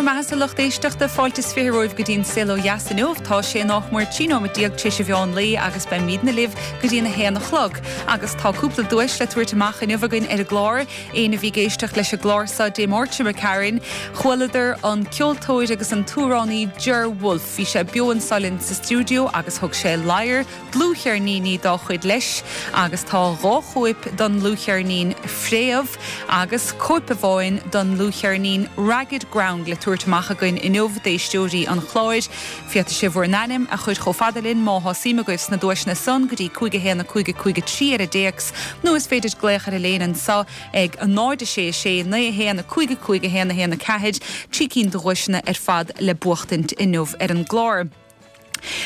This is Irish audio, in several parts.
bhur mbeathasa lucht éisteachta, fáilte is 20 romhaibh go dtí an Saol Ó Dheas inniu. Tá sé nach mór 13 nóiméad tar éis an mheán lae agus beimidne libh go dtí an 1 a chlog. Agus tá cúpla duais le tabhairt amach inniu againn ar an gclár. Éinne a bhí ag éisteacht leis an gclár seo Dé Máirt seo imigh tharainn, chualadar an ceoltóir agus an t-amhránaí Ger Wolfe. Bhí sé beo anso linn sa stiúideo agus thug sé ladhar dlúthcheirníní dá chuid leis agus tá dhá chóip don dlúthcheirnín Fréamh agus cóip amháin don dlúthcheirnín Ragged Ground le tabhairt amach againn inniu d'éisteoirí an chláir. Féadfaidh sibh bhur n-ainm a chur chomh fada linn má thá suim agaibh sna duaiseanna san go dtí 5 1 5 5 3 ar an dtéacs nó is féidir glaoch ar an léine anso ag 0 6 6 9 1 5 5 1 1 4, 3 cinn de dhuaiseanna ar fad le buachtaint inniu ar an gclár.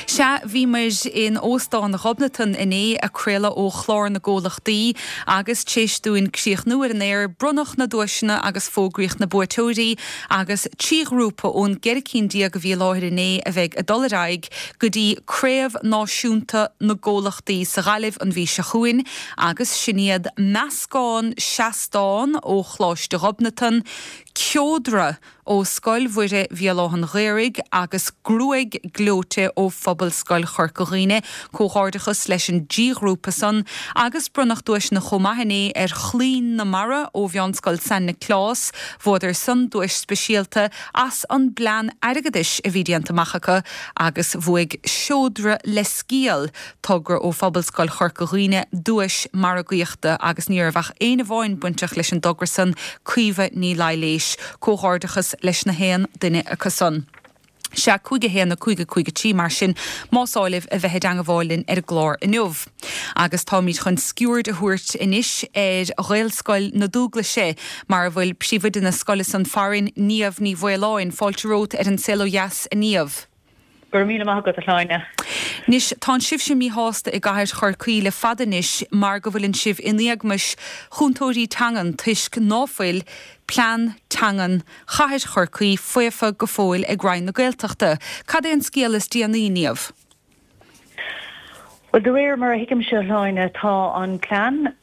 Sea, bhíomar in Óstán Ghobnatan inné ag craoladh ó Chlár na gComhlachtaí agus tar éis dúinn críochnú ar an aer, bronnadh na duaiseanna agus fógraíodh na buaiteoirí agus 3 ghrúpa ón gceithre cinn déag a bhí i láthair inné a bheidh ag dul ar aghaidh go dtí Craobh Náisiúnta na gComhlachtaí sa Ghaillimh an mhí seo chugainn agus sin iad Meascán Seastán ó Choláiste Ghobnatan, Ceodra ó Scoil Mhuire Bhéal Átha'n Ghaorthaidh agus Gruaig Gleoite ó Phobalscoil Chorca Dhuibhne. Comhghairdeachas leis an dtrí ghrúpa san agus bronnadh duaiseanna chomh maith inné ar Chlaínn na Mara ó Mheánscoil San Nioclás. Bhuadar san duais speisialta as an bplean airgeadais a bhí déanta amach acu agus bhuaigh Seodra le Sciáil togra ó Phobalscoil Chorca Dhuibhne duais margaíochta agus ní raibh ach éinne amháin bainteach leis an dtogra san, Caoimhe Ní Laighléis. Comhghairdeachas leis na haon duine acu san. Sea, 5 1 5 5 3 mar sin, más áil libh a bheith i dteangabháil linn ar an gclár inniu. Agus táimid chun sciuird a thabhairt anois ar Ghaelscoil na Dúglaise, mar a bhfuil príomhoide na scoile san farainn, Niamh Ní Mhaoláin. Fáilte romhat ar An Saol Ó Dheas, a Niamh. Go raibh míle maith agat, a Shláine. Anois, tánn sibhse míshásta i gcathair Chorcaí le fada anois mar go bhfuileann sibh in éagmais chúntóirí teangan toisc ná fuil plean teangan chathair Chorcaí faofa go fóill ag Roinn na Gaeltachta. Cad é an scéal is déanaí, Niamh? Bhuel, de réir mar a thuigimse, a Shláine, tá an plean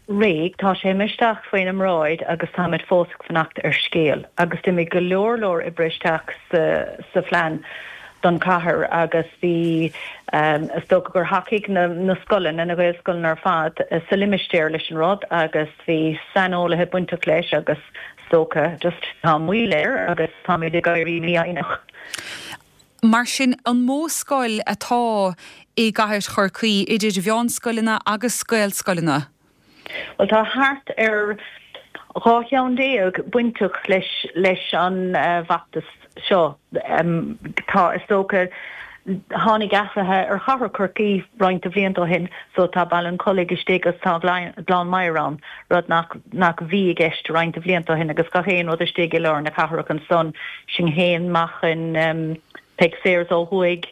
réidh, tá sé imithe isteach faoina mbráid agus táimid fós ag fanacht ar scéal. Agus d'imigh go leor leor oibre isteach sa phlean don chathair agus bhí, is dócha gur thacaigh na scoileanna, na Gaelscoileanna ar fad sa limistéar leis an rud agus bhí saineolaithe bainteach leis agus is dócha just tá moill air agus táimid ag éirí mífhoighneach. Mar sin, an mó scoil atá i gcathair Chorcaí, idir mheánscoileanna agus Gaelscoileanna? Bhuel, tá thart ar 12 cheann bainteach leis leis an bhfeachtas seo. Tá, is dócha, tháinig athruithe ar chathair Chorcaí roinnt de bhlianta ó shin, so tá Baile an Chollaigh istigh agus tá Gleann Maghair ann, rud nach nach bhí i gceist roinnt de bhlianta ó shin agus gach aon rud istigh i lár na cathrach ansan. Sinn féin, Machain, Peig Sayers ó thuaidh,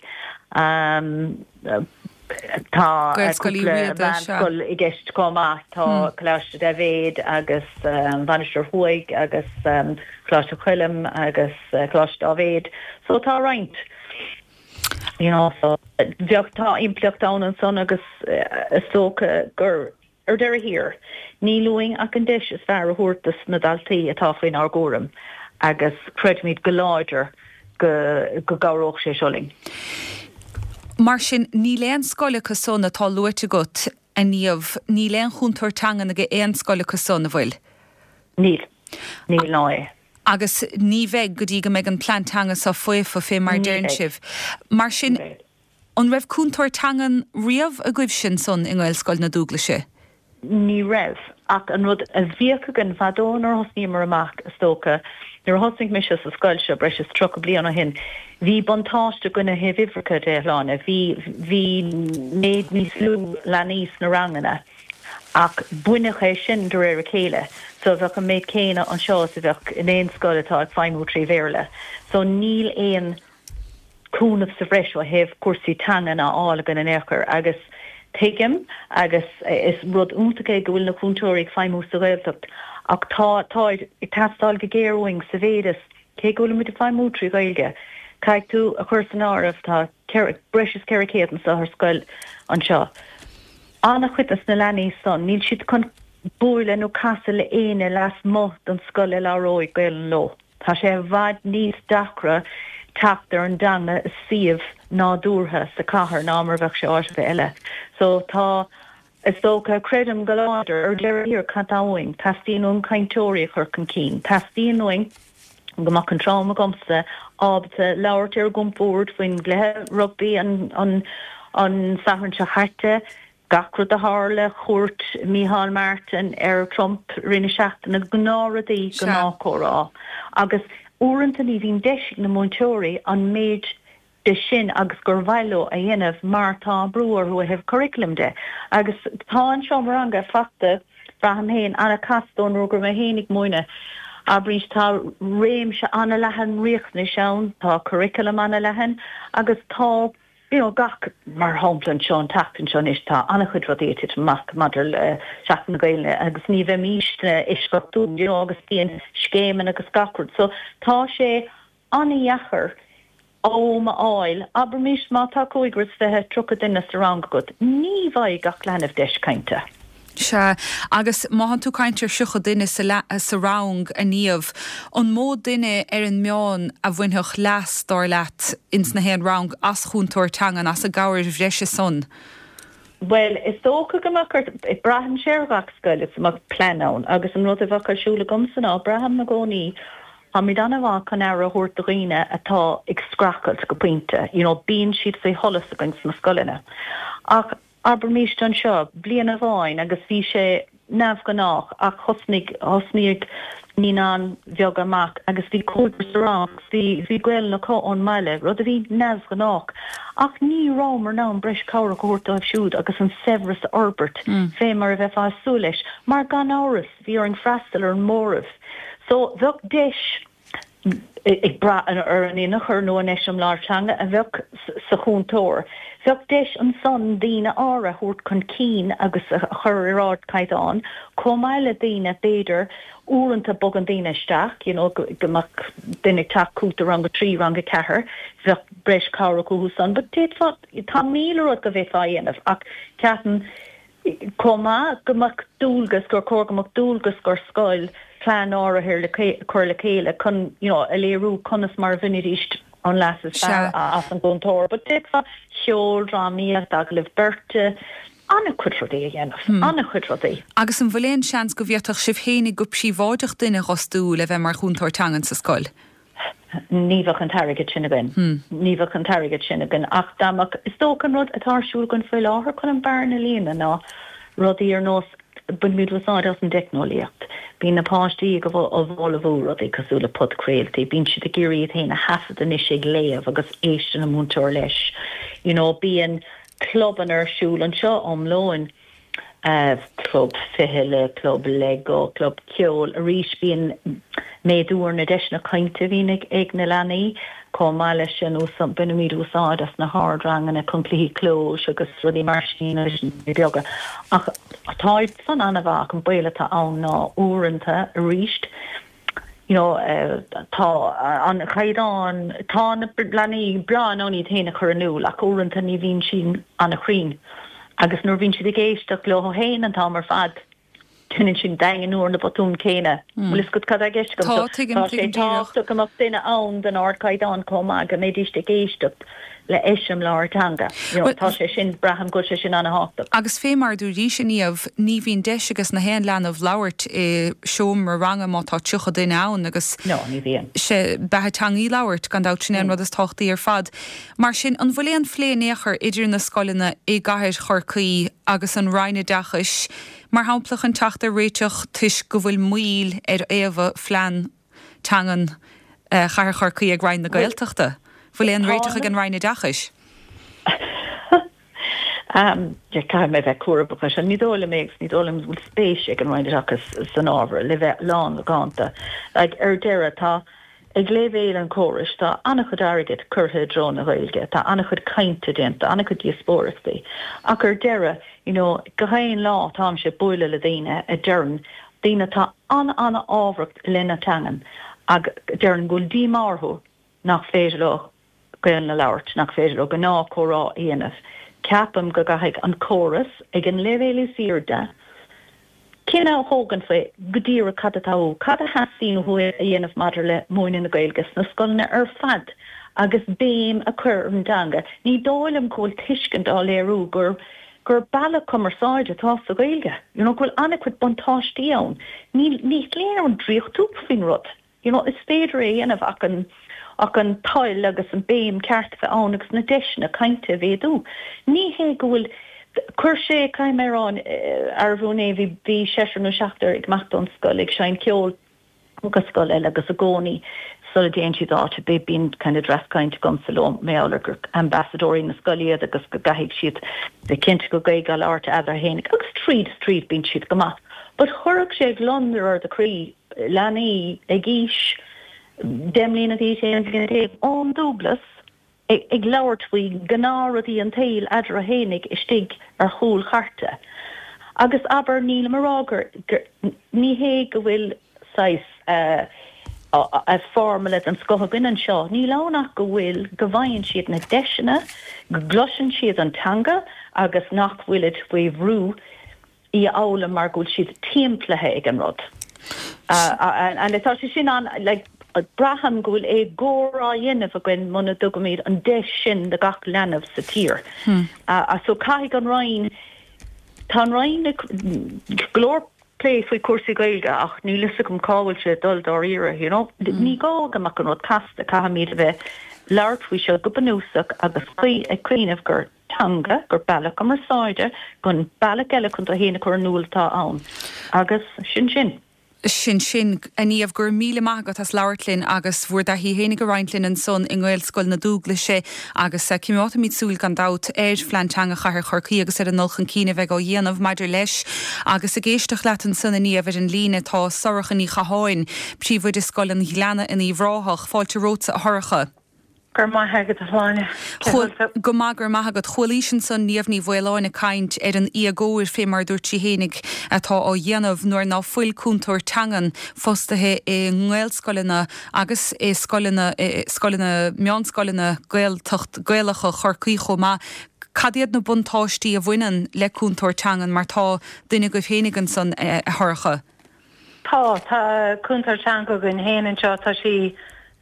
tá Gaelscoil Uí cúpla Riada, sea. meánscoil i gceist chomh maith, tá Coláiste Daibhéid agus an Mhainistir Thuaidh agus Coláiste Choilm agus Coláiste Dáibhéid. So tá roinnt, you know, so bheadh, tá impleacht ann ansan agus is dócha gur, Ar deireadh thiar, níl uainn ach an deis is fearr a thabhairt dos na daltaí atá faoinár gcúram agus creidimid go láidir go go gcabhródh sé seo linn. Mar sin, níl aon scoil acu san atá luaite agat, a Niamh, níl aon chúntóir teangan ag aon scoil acu san, an bhfuil? Níl. Níl ná é. Agus ní bheidh go dtí go mbeidh an plean teanga seo faofa, fé mar a Ní deireann bheidh. sibh. Mar sin, Ní bheidh. An raibh cúntóir teangan riamh agaibhse ansan i nGaelscoil na Dúglaise? Ní raibh, ach an rud a bhíodh againn fadó nuair a thosnaíomar amach, is dócha, nuair a thosnaigh mise sa scoil seo breis is 30 bliain ó shin, bhí buntáiste againn ó thaobh uimhreacha de, a Shláine. Bhí, bhí méid níos lú leanaí sna ranganna ach baineadh é sin de réir a chéile. So bheadh an méid céanna anseo is a bheadh in aon scoil atá ag feidhmiú trí Bhéarla. So níl aon. cúnamh sa bhreis ó thaobh cúrsaí teangan á fháil againn in aon chor agus tuigim agus is rud iontach é go bhfuil na cúntóirí ag feidhmiú sa Ghaeltacht ach tá, táid ag teastáil go géar uainn sa mhéid is cé go bhfuilimid ag feidhmiú trí Ghaeilge, caithfidh tú a chur san áireamh tá breis is 400 anseo ar scoil anseo. An-chuid des na leanaí san, níl siad chun bualadh nó casadh le éinne lasmuigh den scoil a labhróidh Gaelainn leo. Tá sé i bhfad níos deacra teacht ar an dteanga i suíomh nádúrtha sa chathair ná mar a bheadh sé áit ar bith eile. So tá, is dócha, creidim go láidir, ar deireadh thiar, cad tá uainn? Teastaíonn uainn cainteoirí a chur chun cinn. Teastaíonn uainn go mbeadh an t-am agamsa ábalta labhairt ar an gcompord faoin gcluiche rugbaí an an an Satharn seo chaite, Gach rud a tharla, cuairt Micheál Martin ar Trump i rith na seachtaine, gnáthrudaí, gnáthchomhrá. Agus uaireanta ní bhíonn deis ag na múinteoirí an méid de sin agus gur mhaith leo a dhéanamh mar tá brú orthu ó thaobh curriculum de. Agus tá an seomra ranga fachta, braithim féin, an-chasta ón uair go raibh mé féin ag múineadh. Abraís, tá réimse an-leathan riachtanais ann, tá curriculum an-leathan agus tá. you know gach, mar shampla anseo an tseachtain seo anois tá an-chuid rudaí ag titim amach maidir le Seachtain na Gaeilge agus ní bheimísne eisceachtúil you know agus bíonn scéimeanna agus gach rud so tá sé an-dheacair am a fháil, abraimis má tá 25, 30 duine sa rang agat, ní bhfaighidh gach leanbh deis cainte. Sea, agus má thánn tú ag caint ar 30 duine sa rang, a Niamh, an mó duine ar an meán a bhainfeadh leas, dar leat, ins na haon rang as chúntóir teangan, as an gcabhair bhreise san? Bhuel, is dócha go mbeadh ort, braitheann sé ar ghach scoil is go mbeadh plean ann agus an rud a bheadh ar siúl agamsa ná, braithim i gcónaí, táimid an-mhaith chun aire a thabhairt do dhaoine atá ag streachailt go pointe, you know, bíonn siad faoi sholas againn sna scoileanna. Ach Abraimis anseo, bliain amháin agus bhí sé neamhghnách ach thosnaigh, thosnaigh naíonáin bheaga amach agus bhí cúigear sa rang agus bhí, bhí Gaelainn acu ón mbaile, rud a bhí neamhghnách. Ach ní rabhamar in ann breis cabhrach a thabhairt dóibh siúd agus an saibhreas a fhorbairt fé mar a bheifeá ag súil leis, mar gan amhras bhí orainn freastal ar an móramh. So bheadh deis. ag brath ar an inneachar nó an eiseamláir teanga a bheadh sa chúntóir. Bheadh deis ansan daoine áirithe a thabhairt chun cinn agus a chur ar ardchaighdeán, chomh maith le daoine, b'fhéidir, uaireanta bogann daoine isteach, you know, go mbeadh duine ag teacht chugat i rang a trí, rang a ceathair, bheadh breis cabhrach uathu san. But d'fhéadfá, tá 1000 rud go bhféadfá a dhéanamh ach ceapaim, chomh maith, go mbeadh dualgas, gur chóir go mbeadh dualgas ar scoil plean áirithe le cur le chéile chun, you know, a léiriú conas mar a bhainfidís an leas is fearr as an gcúntóir. But d'fhéadfá ceol, drámaíocht, agallaimh beirte, an-chuid rudaí a dhéanamh, an-chuid rudaí. Agus an bhfuil aon seans go bhféadfadh sibh fhéinig go príobháideach duine a dh'fhostú le bheith mar chúntóir teangan sa scoil? Ní bheadh an t-airgead sin againn. Ní bheadh an t-airgead sin againn ach dá mbeadh, is dócha an rud atá ar siúl againn faoi láthair chun an bearna a líonadh ná rudaí ar nós, bainimid úsáid as an dteicneolaíocht. Bíonn na páistí ag ullmhú rudaí cosúil le podchraoltaí, bíonn siad ag iarraidh iad féin a thaifead anois ag léamh agus éisteann an múinteoir leis. You know, bíonn clubanna ar siúl anseo um lóin. club fichille, club Lego, club ceoil. Arís, bíonn méadú ar na deiseanna cainte a bhíonn ag na leanaí. Chomh maith leis sin, bainimid úsáid as na hardranganna chun cluichí clóis agus rudaí mar sin leis na beaga. Ach tá san an-mhaith ach an baol atá ann ná uaireanta, arís, you know tá an caighdeán, tá na leanaí breá in ann iad féin a chur in iúl ach uaireanta ní bhíonn siad an-chruinn agus nuair a bhíonn siad ag éisteacht leo féin an t-am ar fad déanann siad daingniú ar na botúin céanna. Bhfuil fhios agat cad tá i gceist agam? Tá, tuigim, Tá sé tuigim díreach. tábhachtach go mbeadh duine ann den ardchaighdeán chomh maith go mbeidís ag éisteacht le eiseamláir teanga. You know, tá sé sin, braithim go bhfuil sé sin an-thábhachtach. Agus fé mar a dúraís, a Niamh, ní bhíonn deis ages na haon leanbh labhairt i seomra ranga má tá 30 duine ann agus No, ní bhíonn. sé beatha teanga í labhairt, gan dabht, sin é an rud is tábhachtaí ar fad. Mar sin, an bhfuil aon phlé in aon chor idir na scoileanna i gcathair Chorcaí agus an Roinn Oideachais, mar shampla, chun teacht ar réiteach toisc go bhfuil moill ar fhaomhadh phlean teangan Chathair Chorcaí ag Roinn na Gaeltachta. Bhfuil aon réiteach ag an Roinn Oideachais? Caithfidh mé bheith cúramach leis seo. Ní dóigh liom é agus ní dóigh liom go bhfuil spéis ag an Roinn Oideachais san ábhar, le bheith lán-mhacánta. Like, ar deireadh, tá, ag leibhéal an chórais, tá an-chuid airgid curtha i dtreo na Gaeilge, tá an-chuid cainte déanta, an-chuid díospóireachtaí. Ach ar deireadh, you know, gach aon lá táimse ag bualadh le daoine a deireann, daoine atá an-an-fhábharach i leith na teangan ach deireann go bhfuil díomá orthu nach féidir leo Gaelainn a labhairt, nach féidir leo gnáthchomhrá a dhéanamh. Ceapaim go gcaithfidh an córas, ag an leibhéal is airde. Cinneadh a thógaint faoi go díreach cad atá uathu, cad a theastaíonn uathu a dhéanamh maidir le múineadh na Gaeilge sna scoileanna ar fad agus béim a chur ar an dteanga. Ní dóigh liom go bhfuil tuiscint á léiriú gur gur bealach cumarsáide atá sa Ghaeilge, you know, go bhfuil an-chuid buntáistí ann. Ní ní léir an draíocht faoin rud. You know, is féidir é a dhéanamh ach an, ach an toil agus an béim ceart a bheith ann agus na deiseanna cainte a mhéadú. Ní hé go bhfuil, chuir sé, caithfidh mé a rá, arbh inné, bhí, bhí seisear nó seachtar ag imeacht ón scoil ag seinnt ceoil go scoil eile agus i gcónaí sula dtéann siad áit ar bith bíonn kind of dreas cainte agamsa leo mar gheall ar gur ambasadóirí na scoile iad agus go gcaithfidh siad bheith cinnte gur Gaeilge á labhairt eadarthu fhéinig agus tríd is tríd bíonn siad go maith. But chuirfeadh sé gliondar ar do chroí leanaí ag aois 10 mbliana d'aois, 11 bliana, ón Dúglas ag labhairt faoi ghnáthrudaí an tsaoil eadarthu fhéinig istigh ar chúl chairte. Agus abair, nílim a rá gur, ní hé go bhfuil saghas formula den scoth againn anseo, níl ann ach go bhfuil, go bhfaigheann siad na deiseanna, go gcloiseann siad an teanga agus nach bhfuilid faoi bhrú í a fhoghlaim mar go bhfuil siad timpeallaithe ag an rud. And tá sé sin an, like, braithim go bhfuil éagóir á dhéanamh againn muna dtugaimid an deis sin do gach leanbh sa tír. So caithfidh an Roinn, tá an Roinn ag go leor plé faoi chúrsaí Gaeilge ach níl fhios agam cá bhfuil sé ag dul dáiríre, you know. Ní gá go mbeadh an rud casta, caithfimid a bheith labhairt faoi seo go bunúsach agus ag cuimhneamh gur teanga, gur bealach cumarsáide, gur bealach eile chun tú fhéin a chur in iúl atá ann. Agus sin sin. Sin sin. A Niamh, go raibh míle maith agat as labhairt linn agus bhur dtaithí fhéinig a roinnt linn ansan i nGaelscoil na Dúglaise agus coimeádfaimid súil gan dabht ar Phlean Teanga Chathair Chorcaí agus ar an ndul chun cinn a bheidh á dhéanamh maidir leis. Agus ag éisteacht leat ansan a Niamh ar an líne tá Sorcha Ní Chatháin, Príomhoide Scoil an Ghleanna in Uíbh Ráthach. Fáilte romhatsa a Shorcha. Go raibh maith agat, a Shláine. Cén chaoi a bhfuil tú? Go maith, go raibh maith agat. Chualaís ansan Niamh Ní Mhaoláin ag caint ar an éagóir, fé mar a dúirt sí fhéinig, atá á dhéanamh nuair ná fuil cúntóir teangan fostaithe i nGaelscoileanna agus i scoileanna, scoileanna, meánscoileanna Gaeltacht, Gaelacha Chorcaí chomh maith. Cad iad na buntáistí a bhaineann le cúntóir teangan mar tá duine agaibh fhéinig ansan, a Shorcha? Tá. Tá cúntóir teanga againn féin anseo. Tá sí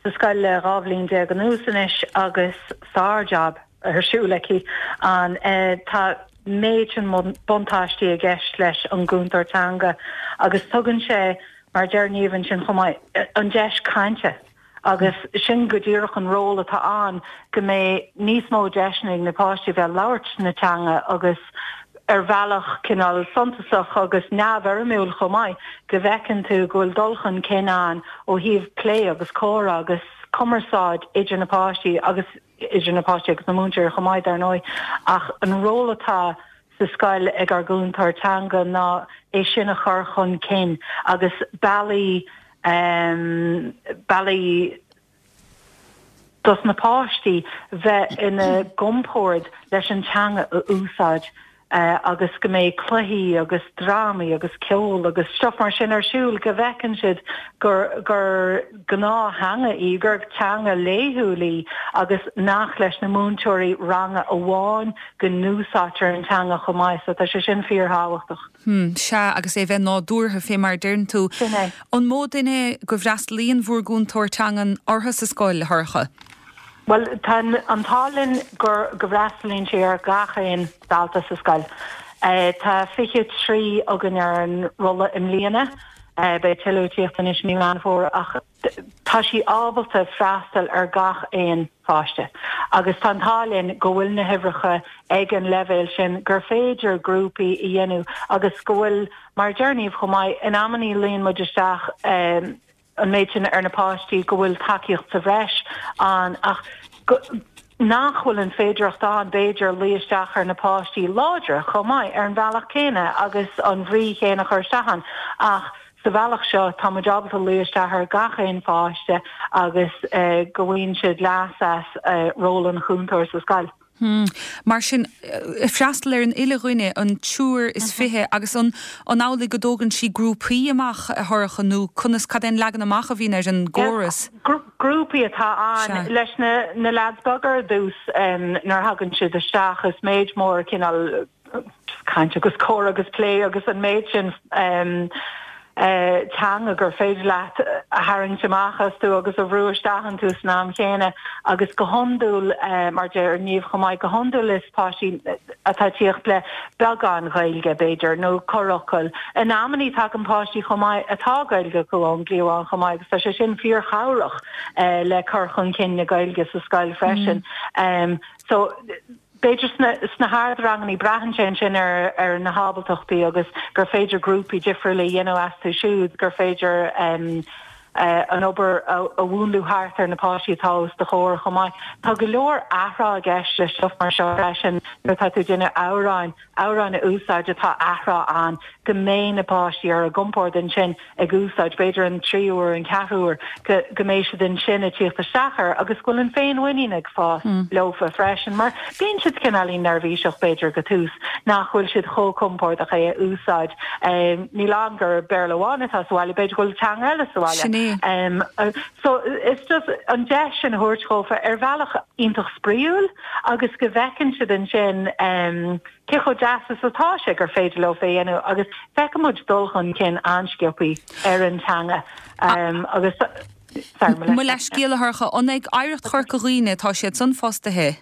sa scoil le 12 bhliain anuas anois agus sár-jab ar siúl aici. An tá méid sin buntáistí i gceist leis an gcúntóir teanga agus tugann sé, mar a deir Niamh ansin chomh maith, an deis cainte. Agus sin go díreach an ról atá ann, go mbeidh níos mó deiseanna ag na páistí a bheith ag labhairt na teanga agus ar bhealach cineál suntasach agus neamhfhoirmiúil chomh maith, go bhfeiceann tú go bhfuil dul chun cinn ann ó thaobh plé agus comhrá agus cumarsáid idir na páistí agus idir na páistí agus na múinteoirí chomh maith, dar ndóigh. Ach an ról atá sa scoil ag ár gcúntóir teanga ná é sin a chur chun cinn agus bealaí bealaí dos na páistí bheith ina gcompord leis an teanga a úsáid agus go mbeidh cluichí agus drámaí agus ceol agus stuff mar sin ar siúl go bhfeiceann siad gur gur gnáth-theanga í, gur teanga laethúil í agus nach leis na múinteoirí ranga amháin go n-úsáidtear an teanga chomh maith so tá sé sin fíorthábhachtach. Hm, sea, agus é bheith nádúrtha, fé mar a deireann tú. Sin é. An mó duine go bhfreastalaíonn bhur gcúntóir teangan orthu sa scoil, a Shorcha? Bhuel, tá an t-ádh linn gur, go bhfreastalaíonn sí ar gach aon dalta sa scoil. Tá 23 againn ar an rolla i mbliana. Beidh tuilleadh ag tíocht anois mí Meán Fómhair ach tá sí ábalta freastal ar gach aon pháiste agus tá an t-ádh linn go bhfuil na huimhreacha ag an leibhéal sin gur féidir grúpaí a dhéanamh agus go bhfuil, mar a deir Niamh chomh maith, in amannaí luíonn muid isteach an méid sin ar na páistí go bhfuil tacaíocht sa bhreis ann ach go nach bhfuil an féidearthacht ann b'fhéidir luí isteach ar na páistí láidre chomh maith ar an bhealach céanna agus an bhrí chéanna a chur isteach ann ach sa bhealach seo tá muid ábalta luí isteach ar gach aon pháiste agus go bhfaigheann siad leas as ról an chúntóir sa scoil. Hmm. Mar sin, freastal ar an uile dhuine, an triúr is fiche, agus an an amhlaidh go dtógann sí grúpaí amach, a Shorcha, nó conas, cad é an leagan amach a bhíonn ar an gcóras? Grúpaí atá ann. Leis na na leaids beaga ar dtús, nuair a thagann siad isteach, is méid mór cineál. caint agus comhrá agus plé agus an méid sin teanga gur féidir leat a tharraingt amach astu agus a bhrú isteach iontu san am chéanna agus go hiondúil, mar a deir Niamh chomh maith, go hiondúil is páistí atá ag tíocht le beagán Ghaeilge, b'fhéidir, nó corrfhocal. In amannaí tagann páistí chomh maith atá Gaeilge acu ón gcliabhán chomh maith agus tá sé sin fíorchabhrach le cur chun cinn na Gaeilge sa scoil freisin. So. B'fhéidir sna sna hardrangannaí, braitheann sé ansin ar ar na hábaltachtaí agus gur féidir grúpaí difriúla a dhéanamh astu siúd, gur féidir an obair a a mhúnlú thart ar na páistí atá os do chomhair chomh maith. Tá go leor athrá i gceist le stuif mar seo freisin nuair atá tú ag déanamh amhráin, amhráin a úsáid atá athrá ann, go mbeidh na páistí ar a gcompord ansin ag úsáid, b'fhéidir an tríú uair, an ceathrú uair, go go mbeidh siad ansin ag tíocht isteach air agus go bhfuil an féinmhuinín ag fás leofa freisin mar bíonn siad cineáilín neirbhíseach b'fhéidir go tús, nach bhfuil siad chomh compordach é a úsáid. Níl ann gur Béarla amháin atá sa bhaile, b'fhéidir go bhfuil teanga eile sa bhaile. Sin é. So is just an deis sin a thabhairt dhófa ar bhealach iontach spraíúil agus go bhfeiceann siad ansin cé chomh deas is atá sé gur féidir leo é a dhéanamh agus feiceann muid dul chun cinn an-sciobthaí ar an teanga agus sorry mo leithscéal a Shorcha, an ag Oidhreacht Chorca Dhuibhne atá siad san fostaithe?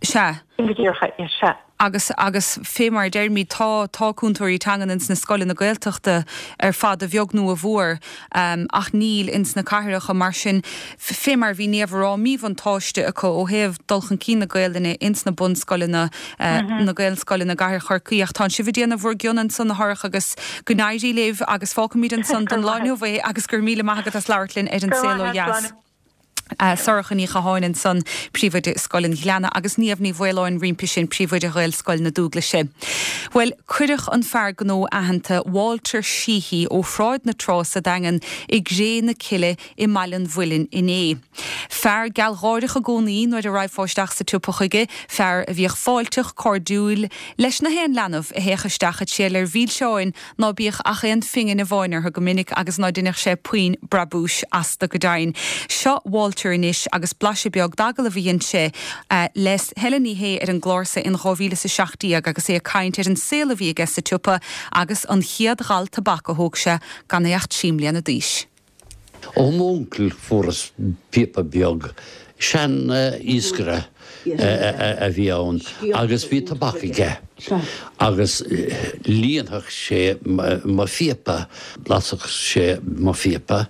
Sea. Sin go díreach é, sea. Agus, agus fé mar a deirimid, tá, tá cúntóirí teangan ins na scoileanna Gaeltachta ar fad, a bheag nó a mhór, ach níl ins na cathracha. Mar sin, fé mar a bhí Niamh a rá, míbhuntáiste acu ó thaobh dul chun cinn na Gaelainne ins na bunscoileanna, na Gaelscoileanna i gcathair Chorcaí. Ach tánn sibh ag déanamh bhur gcion ansan, a Shorcha, agus go n-éirí libh agus fágfaimid ansan don lá inniu é agus go raibh míle maith agat as labhairt linn ar An Saol Ó Dheas. Sorcha Ní Chatháin ansan, Príomhoide Scoil an Ghleanna, agus Niamh Ní Mhaoláin roimpi sin, Príomhoide Ghaelscoil na Dúglaise. Bhuel, cuireadh an fear gnó aitheanta Walter Sheehy ó Shráid na Trá sa Daingean i gcré na cille i mBaile an Mhuilinn inné. Fear gealgháireach i gcónaí nuair a raghfá isteach sa tsiopa chuige, fear a bhíodh fáilteach, cairdiúil leis na haon leanbh a théadh isteach ag triall ar mhilseáin ná bíodh ach aon phingin amháin orthu go minic agus ná deineadh sé puinn brabúis astu go deimhin. Seo Walter anois agus blaiseadh beag d'agallamh a dhein sé le Helen Ní Shé ar an gclár-sa in 2017 agus é ag caint ar an saol a bhí aige sa tsiopa agus an chéad ghal tobac a thóg sé gan é ach 3 mbliana d'aois. Ó m'uncail fuaireas píopa beag, sean iascaire a bhí ann agus bhí tobac aige agus líonfadh sé mo phíopa, lasadh sé mo phíopa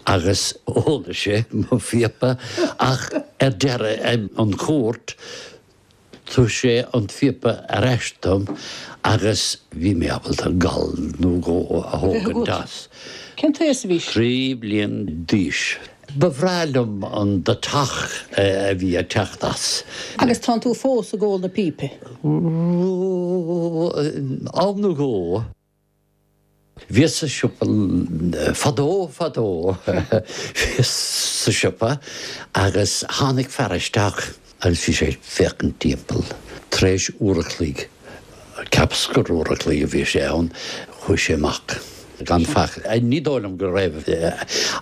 agus óladh sé mo phíopa ach ar deireadh an chuairt Thug sé an phíopa ar ais dom agus bhí mé ábalta gal nó dhó a thógaint as. Cén t-aois a bhís? 3 bliain d'aois. Ba bhreá liom an deatach a bhí ag teacht as. Agus tánn tú fós ag ól na pípe? Am nó dhó. Bhíos sa siopa fadó fadó, bhíos sa siopa agus tháinig fear isteach agus bhí sé ag féachaint timpeall. Tar éis uair a chloig, cheapas gur uair a chloig a bhí sé ann, chuaigh sé amach gan faic. Ní dóigh liom go raibh,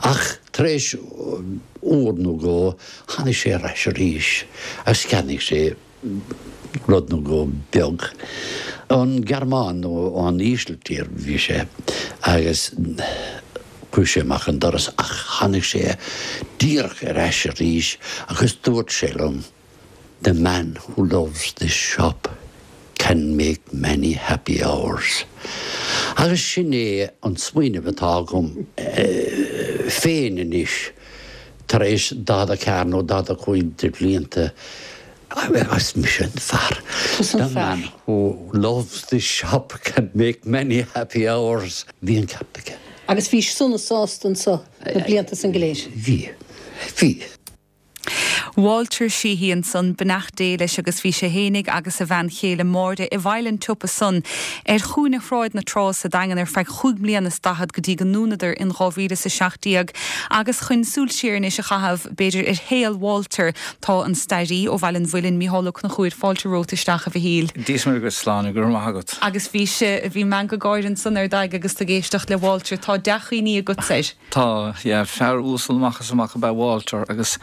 ach tar éis uair nó dhó tháinig sé ar ais arís agus cheannaigh sé rud nó dhó beag. Ón Ghearmáin nó ón Ísiltír bhí sé agus chuaigh sé amach an doras ach tháinig sé díreach ar ais arís agus dúirt sé liom, The man who loves this shop can make many happy hours. Agus sin é an smaoineamh atá agam féin anois tar éis 44 nó 45 de bhlianta Is mise an fear. Tusa an fear. The man who loves this shop can make many happy hours. Bhí an ceart aige. Agus bhís sona sásta anso na blianta san go léir? Bhí. Bhí. Walter Sheehy ansan, beannacht Dé leis agus bhí sé fhéinig agus a bhean chéile Máire i bhfeighil an tsiopa san ar chúinne Shráid na Trá sa Daingean ar feadh chúig mbliana is daichead go dtí go ndúnadar in 2017 agus chun súil siar anois a chaitheamh b'fhéidir ar shaol Walter Tá an stairí ó Bhaile an Mhuilinn, Mícheál Ó Conchúir, fáilte romhat isteach a Mhichíl. Dia is Muire dhuit, a Shláine, go raibh maith agat. Agus bhí sé, bhí meangadh gáire ansan ar d'aghaidh agus tú ag éisteacht le Walter. Tá dea-chuimhní agatsa air. Tá, yeah. Fear uasal amach is amach ab ea Walter agus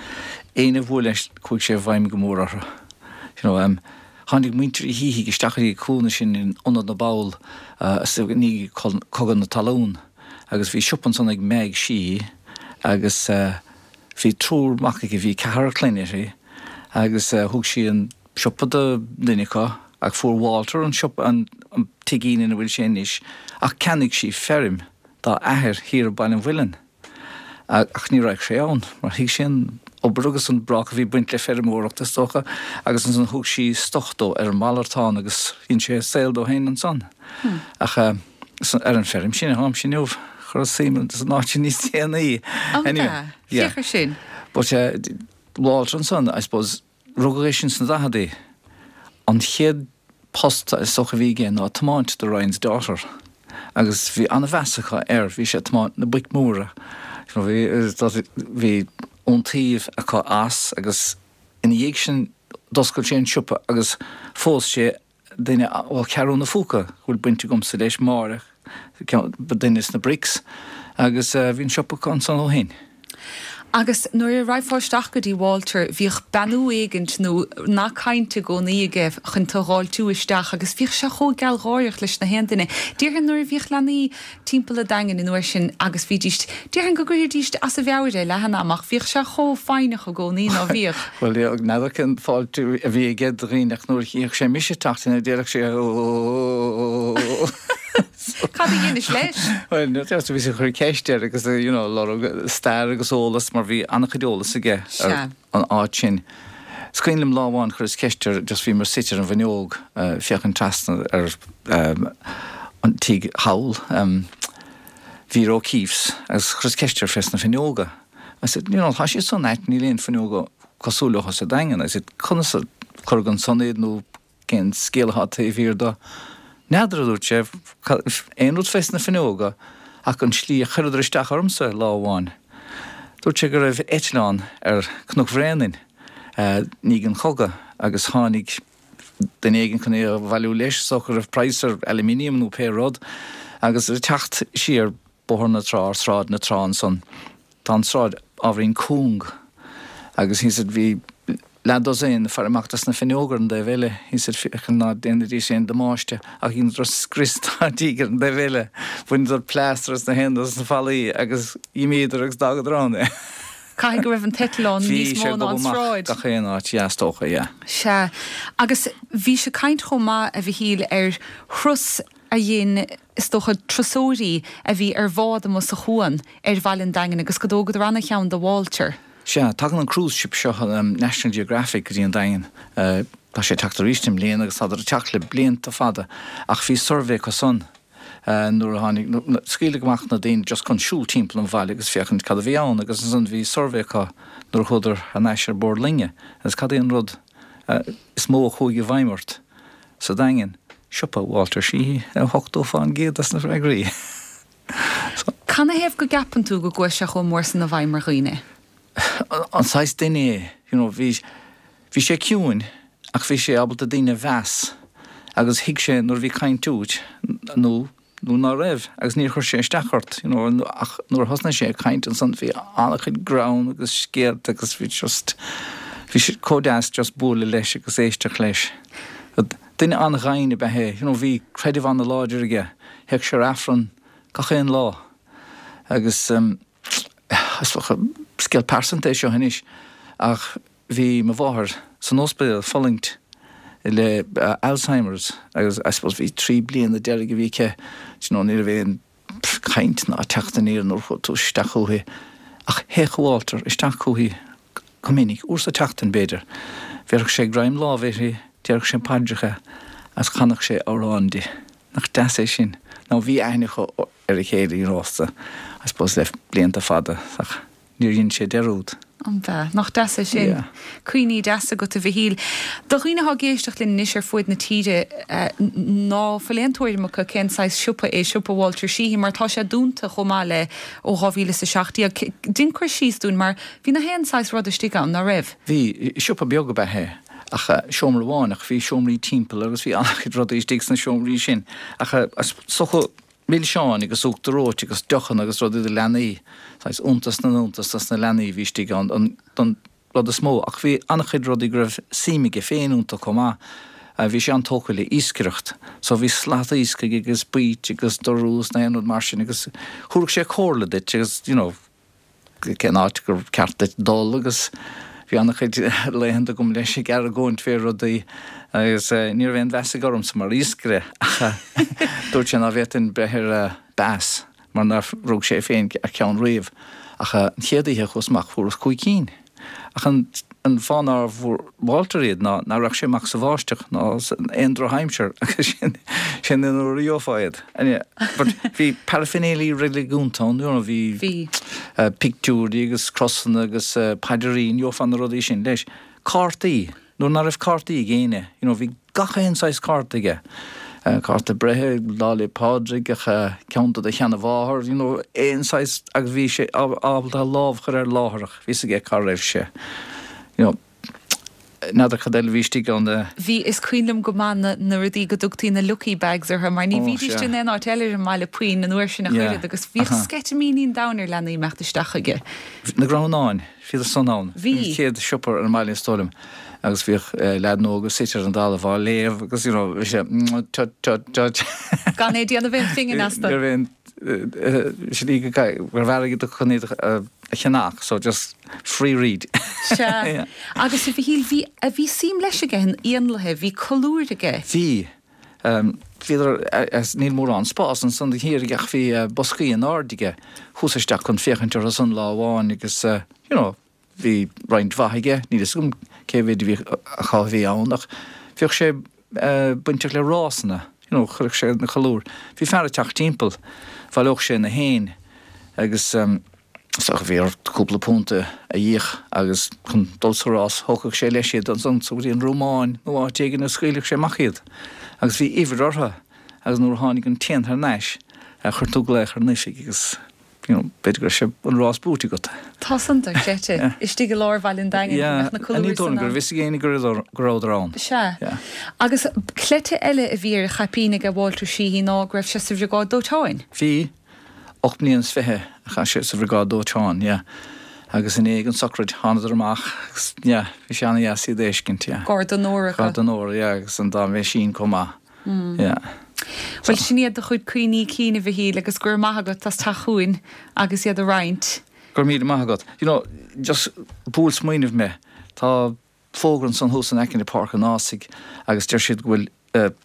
éinne a bhuail leis chuaigh sé i bhfeidhm go mór orthu. You know, em. Tháinig muintir Uí Shíthigh isteach go dtí an cúinne sin in Ionad na bPoll i ndiaidh Cogadh na Talún agus bhí siopa ansan ag Meaig Sheehy agus bhí triúr mac aici, bhí ceathrar clainne uirthi agus thug sí an siopa do dhuine acu ach fuair Walter an siopa, an tigín ina bhfuil sé anois ach cheannaigh sí feirm dá athair thiar i Baile an Mhuilinn. Ach ní raghadh sé ann, mar thuig sé an obair agus an brách a bhí ag baint le feirmeoireacht, is dócha, agus ansan thug sí stoc dó ar an malartán agus dhein sé saol dó féin ansan. Ach ar an feirm sin atáimse inniu, chuireas suim san áit sin níos déanaí. An ea? Féach ar sin. But Walter ansan, I suppose, Rugadh é sin sna daicheadaí. An chéad post is dócha a bhí aige ná tiomáint do Ryan's Daughter agus bhí an-mheas acu air, bhí sé ag tiomáint na boic mhóra. Bhí bhí iontaoibh acu as agus ina dhiaidh sin d'oscail sé an siopa agus phós sé duine ó Cheathrú na Phúca, go bhfuil baint agamsa leis, Máire, duine sna Bricks, agus bhí an siopa acu ansan ó shin. Agus nuair a raghfá isteach go dtí Walter, bhíodh beannú éigint nó nath cainte i gcónaí aige chun tu dh'fháiltiú isteach agus bhíodh sé chomh gealgháireach leis na haon duine. Déarfainn nuair a bhíodh leanaí timpeall an Daingin an uair sin agus bhídíst, déarfainn go gcuirfidíst as a mheabhair é leath an ama ach bhíodh sé chomh foighneach i gcónaí, ná bhíodh? Bhuel, n'fheadar cén fáiltiú a bhí aige do dhaoine ach nuair a chífeadh sé mise ag teacht in déarfadh sé Ó! Cad a dheinis leis? Bhuel, bhí sé ag cur ceist air agus, you know, lorg stair agus eolas mar bhí an-chuid eolas aige ar an áit sin. Is cuimhin liom lá amháin chuireas ceist air, just bhíomar suite ar an bhfuinneog féachaint trasna ar an tigh thall, Vera O'Keefe's, agus chuireas ceist air fés na fuinneoga. I said, you know, tá siad san ait, níl aon fuinneoga cosúil leo sa Daingean. I said, conas a cuireadh ansan iad nó cén scéal atá taobh thiar de? N'fheadar, a dúirt sé, aon rud fés na fuinneoga ach an tslí a chuireadar isteach ormsa lá amháin. Dúirt sé go raibh eitleán ar Cnoc Bhréanainn i ndiaidh an chogaidh agus tháinig duine éigin chun é a bhailiú leis, is dócha go raibh praghas ar aluminium nó pé rud, agus ag teacht siar Bóthar na Trá, ar Sráid na Trá ansan, tá an tsráid ábhairín cúng agus he said bhí leath dosaen ag faire amach dos na fuinneoga ar an dtaobh eile, he said féachaint ná déanfaidís aon damáiste ach dheineadar scrios dá dtigh ar an dtaobh eile, bhaineadar plástar as na haon dos na fallaí agus dh'imíodar agus d'fhágadar ann é. Caithfidh go raibh an t-eitleán níos mó ná an tsráid. Bhí sé ag gobadh amach gach aon áit, yeah, is dócha, yeah. Sea. Agus bhís ag caint chomh maith, a Mhichíl, ar thuras a dhein, is dócha, turasóirí a bhí ar bhád amuigh sa chuan ar bhaile an Daingin agus go dtógadar ana-cheann de Walter. Sea, tagann an cruise ship seo, National Geographic, go dtí an Daingean. Tá sé ag teacht arís i mbliana agus tádar ag teacht le blianta fada ach bhí suirbhé acu san nuair a tháinig, scaoileadh amach na daoine just chun siúl timpeall an bhaile agus féachaint cad a bhí ann agus ansan bhí suirbhé acu nuair a chuadar thar n-ais ar bord loinge agus cad é an rud is mó a chuaigh i bhfeidhm ort sa Daingean? Siopa Walter Sheehy, 80% des na freagraí. So. Canathaobh go gceapann tú go gcuaigh sé chomh mór san i bhfeidhm ar dhaoine? An saghas duine é, you know, bhí, bhí sé ciúin ach bhí sé ábalta daoine a mheas agus thuig sé nuair a bhí caint uait nó, nó ná raibh agus níor chuir sé isteach ort, you know, ach nuair a thosnaigh sé ag caint ansan bhí an-chuid greann agus scéalta agus bhí just, bhí sé chomh deas just bualadh leis agus éisteacht leis. Duine an-ghainn ab ea é, you know, bhí creideamh an-láidir aige, théadh sé ar Aifreann gach aon lá agus is dócha, scéal pearsanta é seo anois, ach bhí mo mháthair san ospidéal ag fulaingt le Alzheimer's agus I suppose bhí 3 bliana deiridh a bhí aici, do you know, ní raibh aon caint ná teacht aniar nuair a chuaigh tú isteach chuici. Ach théadh Walter isteach chuici go minic, uair sa tseachtain b'fhéidir. Bhéarfadh sé greim láimhe uirthi, déarfadh sé paidreacha agus chanfadh sé amhrán di. Nach deas é sin? Now bhí aithne acu ar a chéile, you know, so I suppose le blianta fada ach níor dhein sé dearúd. An b'ea? Nach deas é sin? Yeah. Cuimhní deasa agat, a Mhichíl. Do dhaoine atá ag éisteacht linn anois ar fuaid na tíre, ná fuil aon tuairim acu cén saghas siopa é siopa Walter Sheehy, mar tá sé dúnta chomh maith le ó 2017. Dein cur síos dúinn, mar bhí na haon saghas rud istigh ann, ná raibh? Bhí. Siopa beag ab ea é, ach seomra amháin, ach bhí seomraí timpeall agus bhí an-chuid rudaí istigh sna seomraí sin. Ach is dócha milseáin agus uachtar reoite agus deochanna agus rudaí do leanaí, saghas iontas na n-iontas dos na leanaí a bhí istigh ann don rud is mó. Ach bhí an-chuid rudaí go raibh suim aige féin iontu chomh maith. Bhí sé an-tógtha le iascaireacht so bhí slata iasc aige agus baoit agus dorú is na haon rud mar sin agus thabharfadh sé comhairle duit agus you know cén áit gur ceart duit dul agus bhí an-chuid laethanta agam leis ag argóint fé rudaí agus ní raibh aon mheas aige ormsa mar iascaire ach dúirt sé ná bhféadfainn breith ar bass mar nár rug sé féin ar cheann riamh ach an chéad oíche a chuas amach fuaireas chúig cinn. Ach an fáth nár bhfuair Walter iad ná ná raghadh sé amach sa bháisteach ná aon drochaimsir agus sin sin an uair a gheofá iad. But bhí paraphernalia reiligiúnta ann, you know, bhí Bhí. pictiúirí agus crosanna agus paidirín, gheofá na rudaí sin leis. Cártaí. Nuair ná raibh cártaí ag éinne, you know, bhí gach aon saghas cárta aige. Cárta breithe, Lá 'le Pádraig, ach ceann do do sheana-mháthair, you know, aon saghas agus bhí sé ábalta a lámh a chur air láithreach, bhí 'fhios aige cá raibh sé. You know, n'fheadar cad eile a bhí istigh ann. Bhí, is cuimhin liom go maith na, na rudaí go dtugtaí na lucky bags orthu mar ní Ó, bhídís sea. in aon áit eile ar an mbaile puinn an uair sin ach Yeah, oiread agus bhíodh uh-huh. sceitimíní an domhain ar leanaí imeacht isteach chuige. Na gramhnáin. Bhíodar san ann. Bhí. An chéad siopa ar an mbaile is dóigh liom agus bhíodh leaideanna óga suite ar an dtalamh á léamh agus you know bhí sé tut tut tut. Gan é ag déanamh aon phingin astu. Ní raibh aon slí go raibh airgead acu chun iad a cheannach so just free read. Sea. Agus a Mhichíl, bhí, bhí suim leis aige in éanlaithe, bhí colúir aige. Bhí. Bhíodar, níl mórán spás ansan thiar aige ach bhí boscaí in airde aige. Chuas isteach chun féachaint orthu san lá amháin agus you know bhí roinnt mhaith aige, níl fhios agam cé mhéid a bhí acu a bhí ann ach bhíodh sé bainteach le rásanna, you know chuireadh sé na colúir. Bhí fear ag teacht timpeall, bhaileodh sé na héin agus. Is dócha bhí air cúpla punt a íoc agus chun dul sa rás thógfadh sé leis iad ansan go dtí an Rómáin nó áit éigin a scaoilfeadh sé amach iad agus bhí uimhir orthu agus nuair a tháinig an t-éan thar n-ais chuir tú glaoch ar an oifig agus you know b'fhéidir go raibh sé an rás buaite agat. Tá san dochreidte. Istigh i lár Bhaile an Daingin go mbeadh na colúir ní dóigh san liom go ann. raibh fhios ag éinne go rabhadar ann. Sea. Agus cleite eile a bhí ar a chaipín aige Walter Sheehy ná go raibh sé sa Bhriogáid Dóiteáin. Bhí. 8 mbliana is 20 a chaith sé sa bhriogáid dóiteáin, yeah. Agus i ndiaidh an sochraid thánadar amach agus, yeah, bhí sé ana-dheas iad a fheiscint, yeah. Gar d'onóir acu. Gar d'onóir, yeah, agus an dá mheaisín chomh maith, yeah. Bhuel, sin iad do chuid cuimhní cinn, a Mhichíl, agus go raibh maith agat as teacht chugainn agus iad a roinnt. Go raibh míle maith agat. You know, just bhuail smaoineamh mé, tá fógra ansan thuas in aice le Páirc an Ághasaigh agus deir siad go bhfuil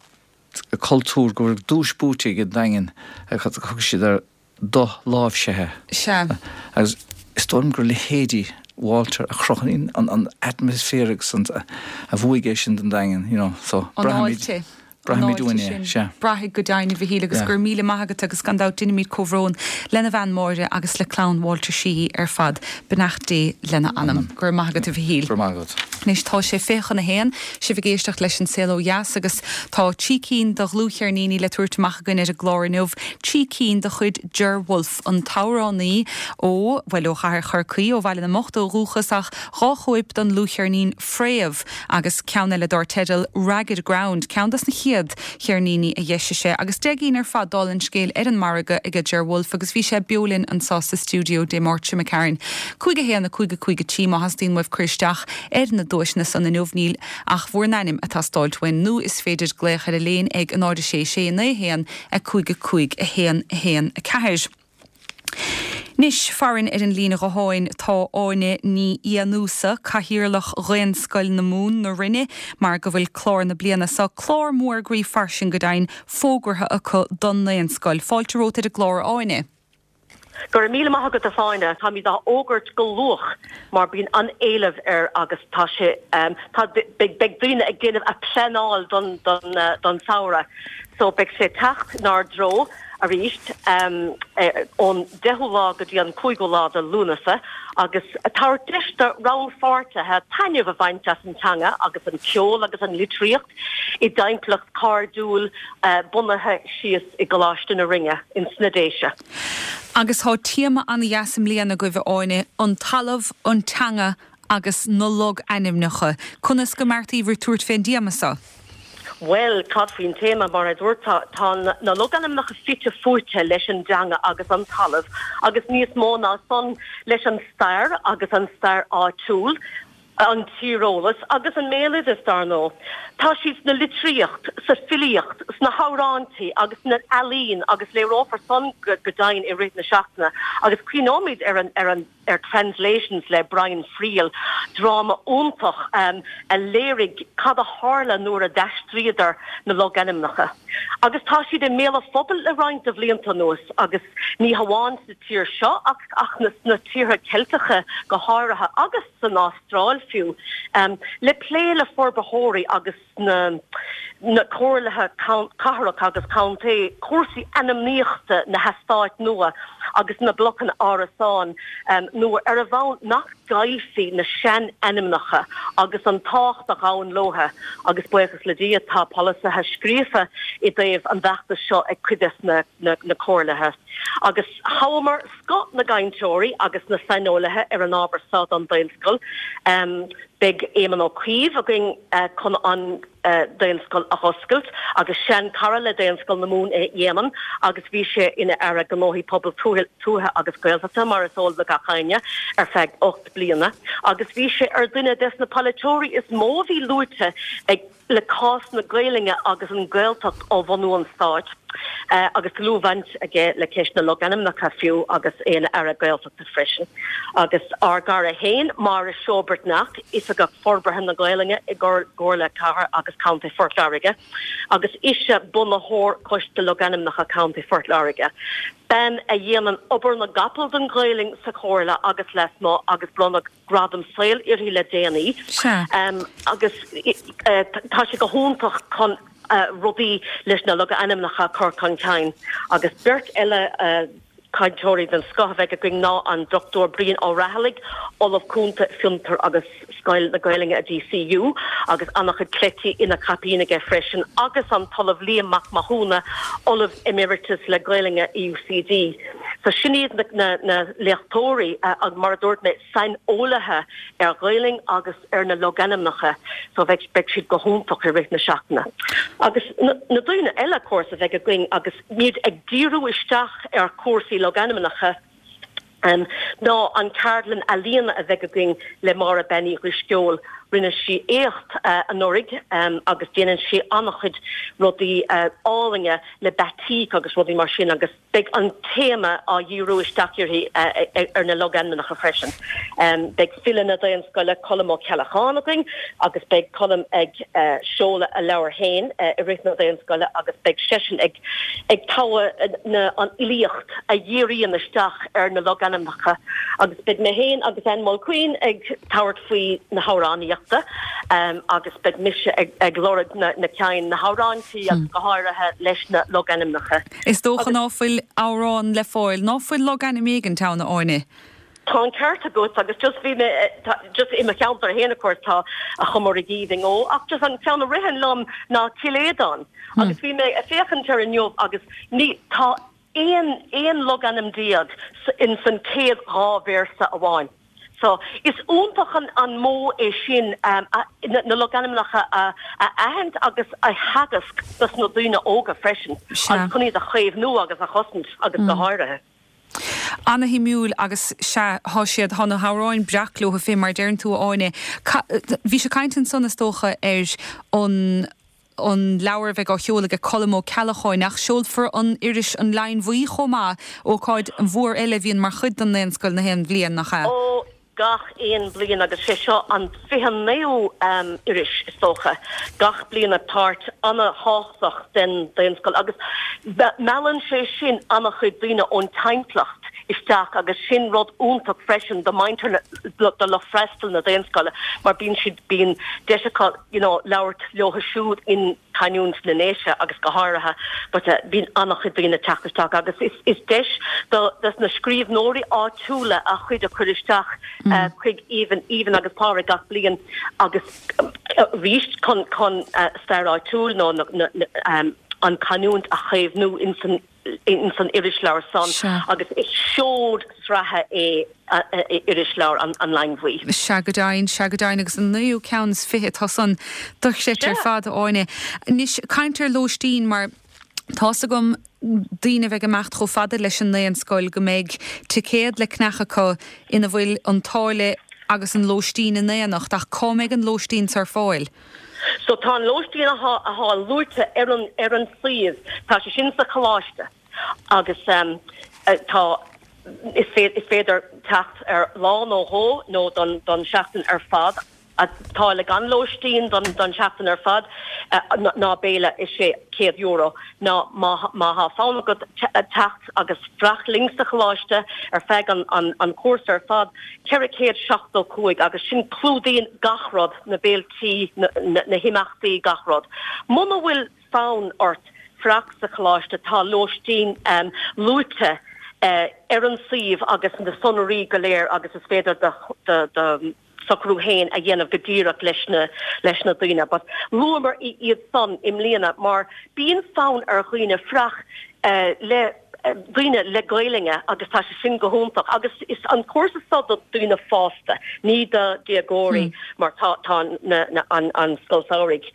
cultúr, go bhfuil duais buaite ag an Daingean, thug siad air do-láimhsithe. Sea. Agus is dóigh liom gur leithéidí Walter a chruthaíonn an atmaisféar agus an, a bhuaigh é sin don Daingean, you know, so An braithimid. fháilte. Braithimid uainn é, sea. Braithfidh go deimhin, a Mhichíl, agus go raibh míle maith agat agus gan dabht déanaimid comhbhrón lena bhean Máire agus le clann Walter Sheehy ar fad. Beannacht Dé lena anam. Go raibh maith agat, a Mhichíl. Go raibh maith agat. Anois tá sé 12:40, sibh ag éisteacht leis An Saol Ó Dheas agus tá trí cinn de dhlúthcheirníní le tabhairt amach againn ar an gclár inniu, trí cinn de chuid Ger Wolfe, an t-amhránaí ó, bhuel, ó chathair Chorcaí, ó Bhaile na mBocht ó dhúchas ach dhá chóip den dlúthcheirnín Fréamh agus ceann eile dár teideal Ragged Ground, ceann dos na chéad cheirníní a d'eisigh sé, agus 10 gcinn ar fad dála an scéil ar an margadh aige Ger Wolfe agus bhí sé beo linn anseo sa stiúideo Dé Máirt seo imigh tharainn. 5 1 5 5 3 Má theastaíonn uaibh cur isteach ar na duaiseanna san inniu níl ach bhur n-ainm ag teastáilt uainn nó is féidir glaoch ar an léin ag 0 6 6 9 1 5 5 1 1 4. Anois, farainn ar an líne ghutháin tá Áine Ní Fhiannúsa, Cathaoirleach Dhaonscoil na Mumhan, na Rinne, mar go bhfuil clár na bliana seo, clár mór groí fairsing go deimhin, fógartha acu don nDaonscoil. Fáilte romhat ar an gclár, a Áine. Go raibh míle maith agat a Fáinne. Táimid á fhógairt go luath mar bíonn an-éileamh air agus tá sé, tá, beidh daoine ag déanamh a pleanáil don, don, don samhradh so beidh sé ag teacht inár dtreo. arís ón 10ú lá go dtí an 5ú lá de Lúnasa agus tabhairt deis do rannpháirtithe taitneamh a bhaint as an teanga agus an ceol agus an litríocht i dtimpeallacht cairdiúil bunaithe síos i gColáiste na Rinne ins na Déise. Agus tá téama an-dheas i mbliana agaibh, a Áine, an talamh, an teanga agus na logainmneacha. Conas go mbeartaíobhair tabhairt fén dtéama seo? Bhuel, cad faoin téama? Mar a dúirt, tá na logainmneacha fite fuaite leis an dteanga agus an talamh agus níos mó ná san, leis an stair agus an stair áitiúil. An tíreolas agus an mbéaloideas, dar ndóigh. Tá siad sna litríocht, sa filíocht, sna hamhráintí agus sna ealaín agus léireofar san go deimhin i rith na seachtaine agus cuimhneoimid ar an ar an ar Translations le Brian Friel, dráma iontach a léirigh cad a tharla nuair a d'aistríodar na logainmneacha. Agus tá siad i mbéal an phobail le roinnt de bhlianta anuas agus ní hamháin sa tír seo ach sna tíortha Ceilteacha go háirithe agus san Astráil fiú, le plé le forbarthóirí agus na na comhairlithe cathrach agus contae cúrsaí ainmníochta na heastáit nua agus na blocanna árasán nua ar an bhonn nach gcaillfí na sean-ainmneacha agus an tábhacht a ghabhann leo agus buíochas le Dia tá polasaithe scríofa i dtaobh an bhfeachtais seo ag cuid des na na comhairlithe agus thoghamar scoth na gcainteoirí agus na saineolaithe ar an ábhar seo don Daonscoil. Beidh Éamon Ó Cuív againn chun an Daonscoil a dh'oscailt agus sean-chara le Daonscoil na Mumhan é Éamon agus bhí sé ina Aire Gnóthaí Pobail Tuaithe agus Gaeltachta, mar is eol do gach éinne, ar feadh 8 bliana agus bhí sé ar dhuine des na polaiteoirí is mó a bhí luaite ag le cás na Gaelainne agus an Ghaeltacht ó bhunú an stáit agus dlúthbhaint aige le ceist na logainmneacha fiú agus é ina Aire Gaeltachta freisin. Agus ár gcara féin, Máire Seó Breatnach, Oifigeach Forbartha na Gaelainne i gComhairle Cathrach agus Contae Phort Láirge agus ise bunaitheoir Choiste Logainmneacha Contae Phort Láirge. Bean a dhéanann obair na gcapall don Ghaelainn sa Chomhairle agus lasmuigh agus bronnadh gradam saoil uirthi le déanaí agus tá sé go hiontach chun rudaí leis na logainmneacha a chur chun cinn. Agus beirt eile cainteoirí den scoth a bheidh againn ná an Dr Brian Ó Raghallaigh, Ollamh Cúnta Fiontar agus Scoil na Gaelainne i DCU agus an-chuid cleití ina chaipín aige freisin, agus an tOllamh Liam Mac Mathúna, Ollamh Emeritus le Gaelainne i UCD. So sin iad na léachtóirí, mar a dúirt mé, saineolaithe ar Ghaelainn agus ar na logainmneacha so bheidh beidh siad go hiontach i rith na seachtaine. Agus na daoine eile, of course, a bheidh againn agus muid ag díriú isteach ar chúrsaí logainmneacha ná an ceardlann ealaíona a bheidh againn le Máire Bean Uí Dhrisceoil. Rinne sí éacht anuraidh agus déanann sí an-chuid rudaí álainne le batik agus rudaí mar sin agus Beidh an téama á dhíriú isteach uirthi ar na logainmneacha freisin. Beidh file na Daonscoile, Colm Ó Ceallacháin againn agus beidh Colm ag seoladh a leabhair féin i rith na Daonscoile agus beidh seisean ag ag togha na an fhilíocht a dhíríonn isteach ar na logainmneacha agus beidh mé féin agus Ann Mulqueen ag tabhairt faoi na hamhránaíochta agus beidh mise ag lorg na na ceann na hamhráintí agus go háirithe leis na logainmneacha. Is dócha ná fuil amhrán le fáil, ná fuil logainm éigint ann, a Áine? Tá an ceart agat agus just bhí mé, just i mo cheantar féin of course tá an Chomaraigh Aoibhinn ó ach just an ceann a ritheann liom ná Cill Aodáin agus bhí mé ag féachaint air inniu agus ní, tá aon, 11 logainm in san céad 2 véarsa amháin. So, is iontach an modh é sin na logainmneacha a aithint agus a theagasc dos na daoine óga freisin agus chun iad a chaomhnú agus a chosaint agus go háirithe. Ana-shuimiúil agus sea, thá siad, thá na hamhráin breac leo féin mar a deireann tú a Áine. Bhís ag caint ansan is dócha ar an. an leabhar a bheidh á sheoladh ag Colm Ó Ceallacháin, ach seolfar an iris An Leidhinn Bhuí chomh maith, ócáid mhór eile a bhíonn mar chuid den Daonscoil na haon bhliain, nach ea? Ó, gach aon bhliain, agus sé seo an 29ú iris, is dócha. Gach bliain páirt ana-thábhachtach den Daonscoil, agus meallann sé sin ana-chuid daoine ón timpeallacht isteach, agus sin rud iontach freisin do mhuintir, do lucht freastail na Daonscoile, mar bíonn siad, bíonn deis acu, you know labhairt leo siúd in canúint na nDéise agus go háirithe but bíonn an-chuid daoine ag teacht isteach agus is is deis do dos na scríbhneoirí áitiúla a chuid a chur isteach chuig Aoibhinn Aoibhinn agus Pádraig gach bliain agus arís chun chun stair áitiúil nó na na an canúint a chaomhnú ins an ins an irisleabhar san agus is seod sraithe é irisleabhar An Leidhinn Bhuí. Sea go deimhin, sea go deimhin agus an naoú ceann is fiche atá san dochreidte ar fad, a Áine. Anois, caint ar lóistín mar tá's agam daoine a bheidh ag imeacht chomh fada leis an nDaonscoil go mbeidh ticéad le ceannach acu ina bhfuil an táille. agus an lóistín in éineacht ach cá mbeidh an lóistín ar fáil? So tá an lóistín athá athá luaite ar an ar an suíomh, tá sé sin sa choláiste agus tá is is féidir teacht ar lá nó dhó nó don don seachtain ar fad. Táille gan lóistín don tseachtain ar fad ná béile is é €100 ná má má thá fonn agat teacht agus fuireach linn sa choláiste ar feadh an an chúrsa ar fad 475 agus sin clúdaíonn gach rud, na béiltí, na na himeachtaí, gach rud. Muna bhfuil fonn ort fuireach sa choláiste tá lóistín luaite ar an suíomh agus na sonraí go léir agus is féidir do do socrú féin a dhéanamh go díreach leis na leis na daoine. But luamar iad san i mbliana mar bíonn fonn ar dhaoine fuireach le daoine le Gaelainne agus tá sé sin go hiontach agus is an cúrsa seo do daoine fásta, ní do déagóirí mar tá tá na na an an scoil samhraidh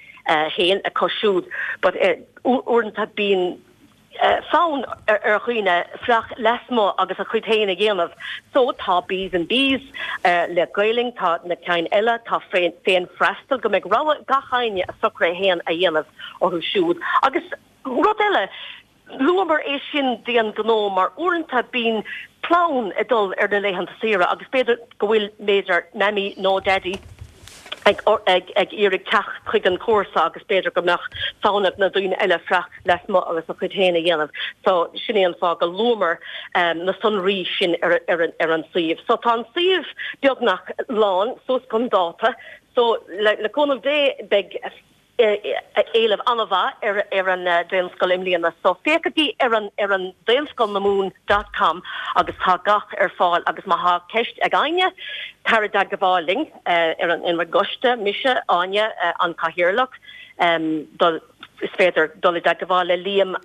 féin acu siúd but uaireanta bíonn fonn ar dhaoine fuireach lasmuigh agus a chuid féin a dhéanamh. So tá Bees and Bees le Gaelainn, tá na cinn eile, tá féin freastal, go mbeidh rogha ag gach éinne a socruithe féin a dhéanamh orthu siúd. Agus rud eile, luamar é sin d'aon ghnó mar uaireanta bíonn clann ag dul ar na laethanta saoire agus b'fhéidir go bhfuil, b'fhéidir, Mammy nó Daddy, ag iarraidh teacht chuig an chúrsa agus b'fhéidir go mbeadh fonn ag na daoine eile fuireach lasmuigh agus a chuid féin a dhéanamh. So sin é an fáth go luamar na sonraí sin ar ar an suíomh. So tá an suíomh beagnach lán suas chun dáta. So le cúnamh Dé beidh éileamh an-mhaith ar ar an Daonscoil i mbliana so féachaigí ar an ar an daonscoilnamumhan dot com agus tá gach ar fáil agus má thá ceist ag éinne tar i dteagmháil linn ar an ar an gcoiste, mise, Áine, an Cathaoirleach, dul is féidir dul i dteagmháil le Liam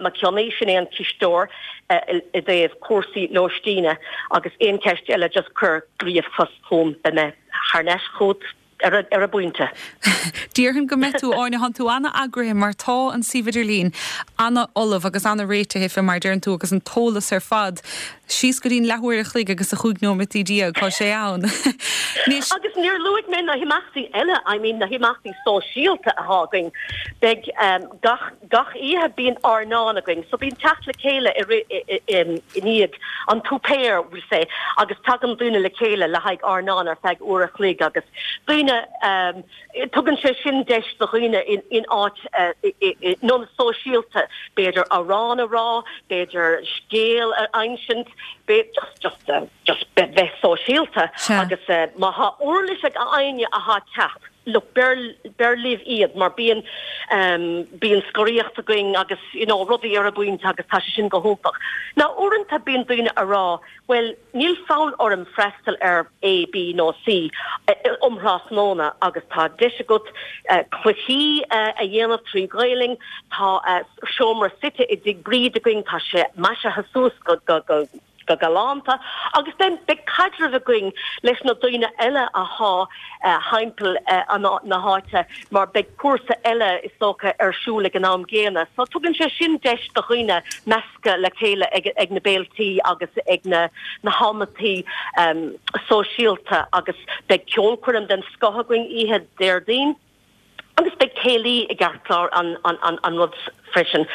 Mac Cionnaith, sin é an cisteoir i dtaobh cúrsaí lóistíne agus aon cheist eile just cuir ríomhphost chugam beidh mé thar n-ais chugat. ar an bpointe. Déarfainn go mbeidh tú, Áine, thánn tú ana-eagraithe mar tá an suíomh idirlín ana-ullamh agus ana-réitithe fé mar a deireann tú agus an t-eolas ar fad síos go dtí'n leathuair a chloig agus a chúig nóimeataí déag, tá sé ann. Anois. Agus níor luaigh mé na himeachtaí eile, I mean na himeachtaí sóisialta athá againn. Beidh gach. Gach oíche bíonn airneán againn, so bíonn teacht le chéile i rith, i ndiaidh an tsuipéir, we'll say, agus tagann daoine le chéile le haghaidh airneán ar feadh uair a chloig agus daoine, tugann sé sin deis do dhaoine in áit, i ionad sóisialta, b'fhéidir amhrán a rá, b'fhéidir scéal a insint, just, just, just bheith sóisialta agus má thá uirlis ag éinne athá ag teacht. Look, beir, beir libh iad mar bíonn, bíonn scoraíocht againn agus you know rudaí ar an bpointe agus tá sé sin go hiontach. Now uaireanta bíonn daoine a rá bhuel níl fonn orm freastal ar A, B nó C um thráthnóna agus tá deis agat cluichí a dhéanamh trí Ghaelainn, tá seomra suite i dTigh Bríd againn, tá sé maisithe suas go, go, go, go galánta agus then beidh caidreamh againn leis na daoine eile athá thimpeall na háite mar beidh cúrsa eile is dócha ar siúl ag an am gcéanna so tugann sé sin deis do dhaoine meascadh le chéile ag ag na béiltí agus ag na na hamantaí sóisialta agus beidh ceolchoirm den scoth againn oíche Déardaoin. Agus beidh céilí i gceartlár an rud freisin.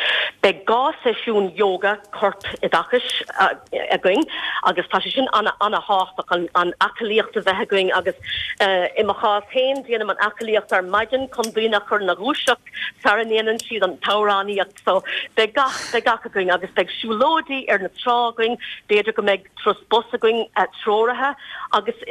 Beidh 2 seisiún yoga corp-oideachais againn agus tá sé sin ana-thábhachtach, an aclaíocht a bheith againn agus i mo chás féin déanaim an aclaíocht ar maidin chun daoine a chur ina dhúiseacht sara ndéanann siad an t-amhránaíocht. So beidh gach, beidh gach againn agus beidh siúlóidí ar na trá againn, b'fhéidir go mbeidh turas bus againn treoraithe agus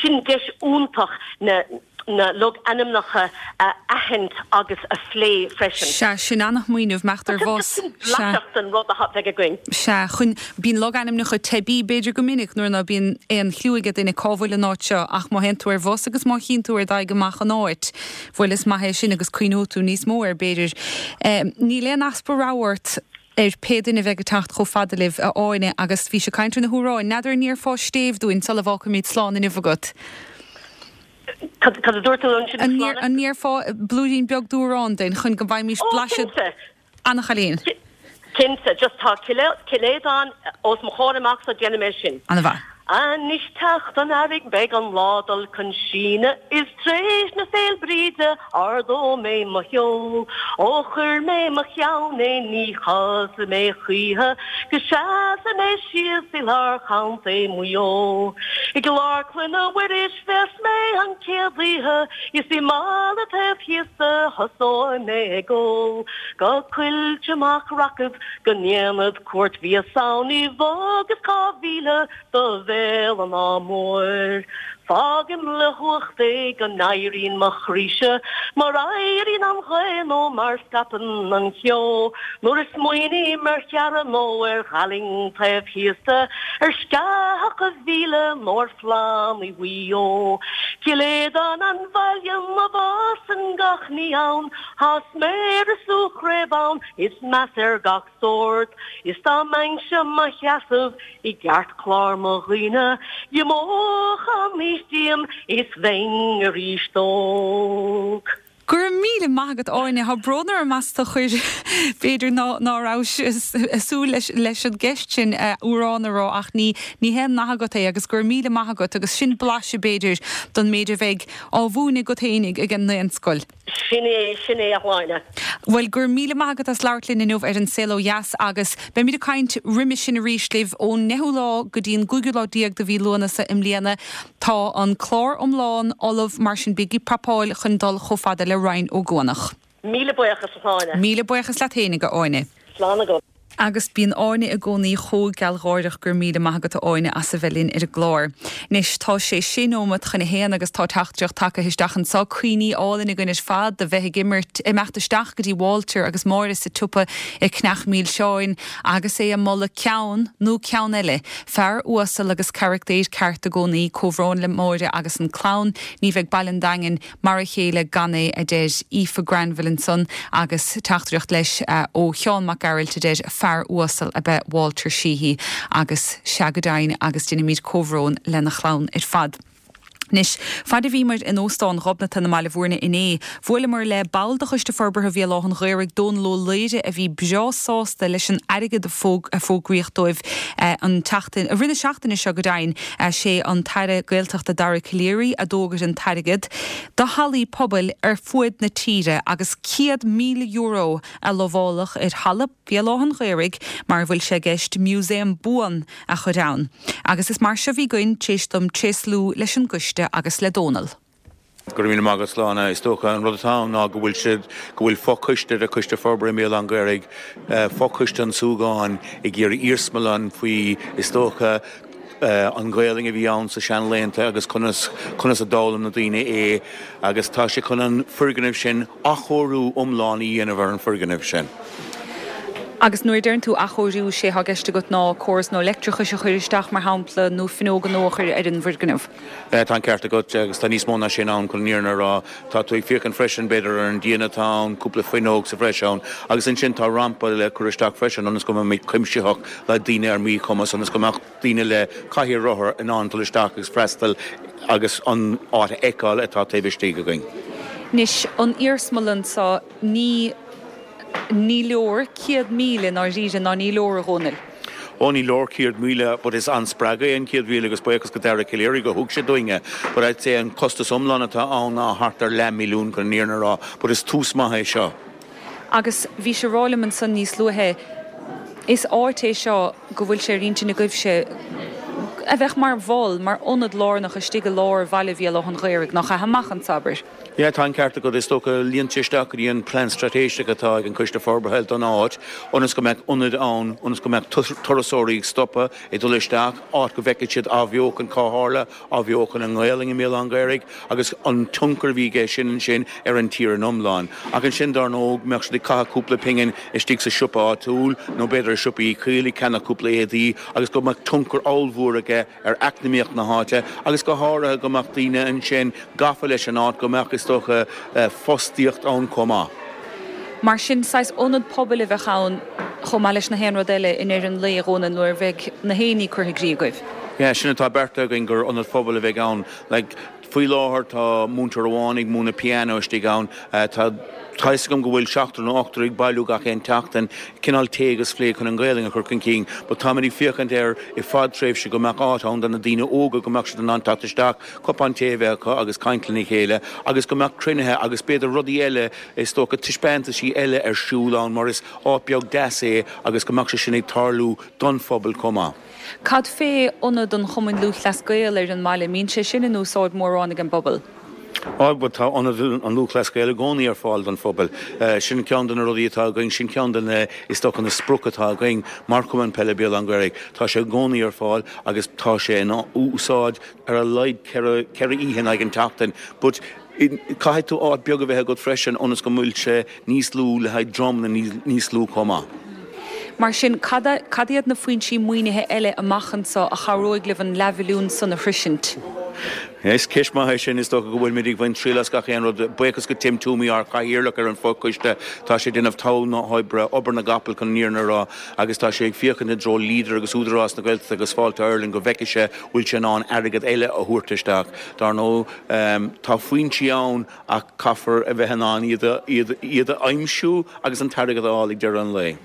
sin deis iontach na na logainmneacha a aithint agus a phlé freisin. Sea, sin ana-smaoineamh, imeacht ar bhus. Sin blaiseadh den rud a bheidh againn. Sea, chun, bíonn logainmneacha teibí b'fhéidir go minic nuair ná bíonn aon chliú ag duine cá bhfuil an áit seo ach má théann tú ar bhus agus má chíonn tú ar d'aghaidh amach an áit, bhuel is maith é sin agus cuimhneoidh tú níos mó air b'fhéidir. Níl aon easpa rabhaidh ort ar pé duine a bheidh ag teacht chomh fada libh, a Áine, agus bhís ag caint ar na hamhráin, n'fheadar an ndéarfá stéibh dúinn sula bhfágfaimid slán inniu agat? Cad a dúirt tú ansin, a Shláine? An ndéarfá blúirín beag d'amhrán duinn chun go bhfaighimís blaiseadh? Ó, cinnte. Ana chailín. Cinnte. Just tá Cill Éadáin os mo chomhair amach so déanfaidh mé sin. Ana mhaith. Anois teacht an earraigh beidh an lá dul chun síneadh is tréis na Féil' Bríde ardóidh mé mo sheol. Ó chuir mé mo cheann é ní chaillfidh mé choíche go seasfaidh mé síos i lár Chontae Mhaigh Eo. I gClár Clainne Mhuiris bheas mé an chéad oíche is i mbaile taobh thíos de thosóidh mé ag ól. Go Coillte Mac Racad go ndéanfad cuairt bhíos ann i bhfad is 2000 do Bhéal an Átha Móir. Fágaim le huacht é go n-éiríonn mo chroíse mar éiríonn an ghaoth nó mar scaipeann an ceo nuair a smaoiním ar Cheara nó ar Ghaillimh taobh thíos de, ar Sceathach a' Mhíle nó ar phlandaí Mhaigh Eo. Cill Aodáin an bhaile 'na bhfásann gach ní ann, Tá sméar is úllchraobh ann is meas ar gach sórt, is dá mbeinnse mo sheasamh i gceartlár mo dhaoine, d'imeodh an aois díom is bheinn arís óg. Go raibh míle maith agat Áine. Tá brón orm as do chur b'fhéidir ná ná rabhais ag súil leis leis an gceist sin amhrán a rá ach ní ní haon nath agat é agus go raibh míle maith agat agus sin blaiseadh b'fhéidir don méid a bheidh á mhúineadh agat fhéinig ag an nDaonscoil. Sin é, sin é a Shláine. Bhuel, go raibh míle maith agat as labhairt linn inniu ar An Saol Ó Dheas agus beimid ag caint roimis sin arís libh ón ndeichiú lá go dtí an gcúigiú lá déag de mhí Lúnasa i mbliana. Tá an clár iomlán ullamh, mar sin bígí ag prapáil chun dul chomh fada le Rinn Ó gCuanach. Míle buíochas, a Shláine. Míle buíochas leat fhéinig, a Áine. Slán agat. Agus bíonn Áine i gcónaí chomh gealgháireach, go raibh míle maith agat a Áine as a bheith linn ar an gclár. Anois tá sé sé nóimeat chun a haon agus tá teachtaireacht tagtha isteach anseo, cuimhní álainn againn ar fad de bheith ag imirt, imeacht isteach go dtí Walter agus Máire sa tsiopa i Cneach Mílseáin agus é ag moladh ceann nó ceann eile. Fear uasal agus carachtaer ceart i gcónaí. Comhbhrón le Máire agus an clann. Ní bheidh Baile an Daingin Mar a chéile gan é, a deir Aoife Granville ansan agus teachtaireacht leis ó Sheán Mac Gearailt a deir fear uasal ab ea Walter Sheehy agus sea go deimhin agus deinimid comhbhrón lena chlann ar fad. Anois, faid a bhíomar in Óstán Ghobnatan i mBaile Bhúirne inné, bhuaileamar le ball de Choiste Forbartha Bhéal Átha'n Ghaorthaidh, Dónal Ó Laoire, a bhí breá sásta leis an airgead a fógraíodh dóibh an tseachtain, i rith na seachtaine seo go deimhin. Sé an tAire Gaeltachta Dara Calleary a d'fhógair an t-airgead do hallaí pobail ar fuaid na tíre agus €100,000 a lamháladh ar halla Bhéal Átha'n Ghaorthaidh mar a bhfuil sé i gceist museum buan a chur ann. Agus is mar seo a bhí againn tar éis dom tréaslú leis an gcoiste agus le Dónal. Go raibh míle maith agat, Sláine. Is dócha an rud atá ann ná go bhfuil siad, go bhfuil fo-choiste de Choiste Forbartha i mBéal Átha'n Ghaorthaidh, fo-choiste an tSúgáin, ag iarraidh iarsmalann faoi, is dócha, an Ghaolainn a bhí ann sa seanlaethanta agus conas, conas a d'fhoghlaim na daoine é agus tá sé chun an foirgneamh sin, athchóiriú iomlán a dhéanamh ar an foirgneamh sin. Agus nuair a deireann tú athchóiriú, sé thá i gceist agat ná córas nua leictreachais a chur isteach, mar shampla, nó fuinneoga nua a chur ar an bhfoirgneamh. Tá an ceart agat, agus tá níos mó ná sin ann chun an fhírinne a rá. Tá tú ag féachaint freisin, b'fhéidir, ar an díon atá ann, cúpla fuinneog sa bhreis ann, agus ansin tá rampa le cur isteach freisin ionas go mbeimid cuimsitheach le daoine ar míchumas, ionas go mbeadh daoine le cathaoir rothar in ann dul isteach agus freastal agus an áit a fheiceáil atá taobh istigh againn. Anois, an iarsmalann seo, ní. Ní leor 100,000 i ndáiríre ná ní leor, a Dhónaill. Ó ní leor 100,000 but is an-spreagadh é an 100,000 agus buíochas go Dara Calleary go thug sé dúinn é. But I'd say an costas iomlán atá ann ná thart ar leath milliún chun an fhírinne a rá but is tús maith é seo. Agus bhís ag rá liom ansan níos luaithe, is áit é seo go bhfuil sé ar intinn agaibhse a bheadh mar mhol, mar ionad lárnach istigh i lár bhaile Bhéal Átha'n Ghaorthaidh, nach ea, amach anso, abair. Yeah, tá an ceart agat. Is dócha, luíonn sé isteach go dtí an plean straitéiseach atá ag an Coiste Forbartha don áit, ionas go mbeadh ionad ann, ionas go mbeadh turasóirí ag stopadh, ag dul isteach, áit go bhfeicfidh siad athbheochan cá tharla, athbheochan an nGaelainn i mBéal Átha'n Ghaorthaidh agus an tionchar a bhí aige sin ansin ar an tír in iomlán. Ach ansin, dár ndóigh, mbeadh siad ag caitheamh cúpla pingin istigh sa siopa áitiúil nó b'fhéidir i siopa Uí Chaoil ag ceannach cúpla éadaí agus go mbeadh tionchar ollmhór aige ar eacnamaíocht na háite agus go háirithe go mbeadh daoine ansin gafa leis an áit, go mbeadh, is dócha, fostaíocht ann chomh maith. Mar sin, saghas ionad pobail a bheadh ann chomh maith leis na haon rud eile i ndeireadh an lae, a Dhónaill, nuair a bheidh na haon ní curtha i gcrích agaibh. Yeah, sin atá beartaithe againn, gur ionad pobail a bheidh ann. Like. Faoi láthair tá múinteoir amháin ag múineadh piano istigh ann. Tá tá fhios agam go bhfuil seachtar nó ochtar ag bailiú gach aon tseachtain, cineál tae agus plé chun an Ghaelainn a chur chun cinn. But táimid ag féachaint air i fadtréimhse go mbeadh áit ann do na daoine óga go mbeadh siad in ann teacht isteach, cupán tae a bheith acu agus caint lena chéile agus go mbeadh cruinnithe agus b'fhéidir rudaí eile, is dócha taispeántaisí eile ar siúl ann mar is áit beag deas é agus go mbeadh sé sin ag tarlú don phobal chomh maith. Cad fé Ionad an Chumainn Lúthchleas Gael ar an mbaile, mbíonn sé sin in úsáid mórán ag an bpobal? Á, bhuel tá Ionad an Lúthchleas Gael i gcónaí ar fáil don phobal. Sin ceann de na rudaí atá againn, sin ceann de na, is dócha, na sprioc atá againn mar Chumann Peile Béal Átha an Ghaorthaidh. Tá sé i gcónaí ar fáil agus tá sé in úsáid ar a laghad ceithre oíche in aghaidh an tseachtain. But caithfidh tú áit beag a bheith agat freisin ionas go bhfuil sé níos lú le haghaidh dreamanna níos lú chomh maith. Mar sin, cad cad iad na foinsí maoinithe eile amach anseo a chabhróidh libh an leathmhilliún san a shroisint? Is ceist maith é sin. Is dócha go bhfuilimid ag baint triail as gach aon rud. Buíochas go Tim Toomey, ár chathaoirleach ar an fho-choiste. Tá sé ag déanamh togha na hoibre, obair na gcapall chun an fhírinne a rá, agus tá sé ag féachaint i dtreo Leader agus Údarás na Gaeltachta agus Fáilte Ireland go bhfeicfidh sé bhfuil sé in ann airgead eile a thabhairt isteach. Dar ndóigh, tá foinsí ann ach caithfear a bheith in ann iad a aimsiú agus an t-airgead a fháil ag deireadh an lae.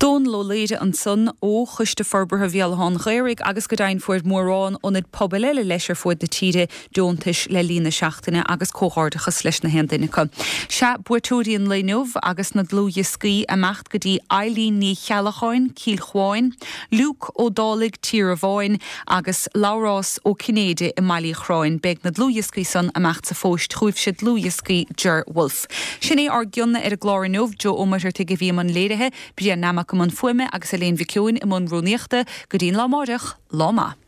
Dónal Ó Laoire ansan ó Choiste Forbartha Bhéal Átha an Ghaorthaidh agus go deimhin fuair mórán ionaid pobail eile leis ar fuaid na tíre deontais le linn na seachtaine agus comhghairdeachas leis na haon duine acu. Sea, buaiteoirí an lae inniu agus na dlúthdhioscaí imeacht go dtí Eileen Ní Cheallacháin, Cill Chuáin, Luke Ó Dálaigh, Tír a' Bháin agus Labhrás Ó Cinnéide i mBaile Uí Chorráin. Beidh na dlúthdhioscaí san imeacht sa phóist chugaibhse, dlúthdhioscaí Ger Wolfe. Sin é ár gcion ar an gclár inniu. Joe Ó Muircheartaigh a bhí i mbun léirithe, Brian Nammock i mbun fuaime agus Elaine Mhic Eoin i mbun rúnaíochta. Go dtí an lá amáireach, lá maith.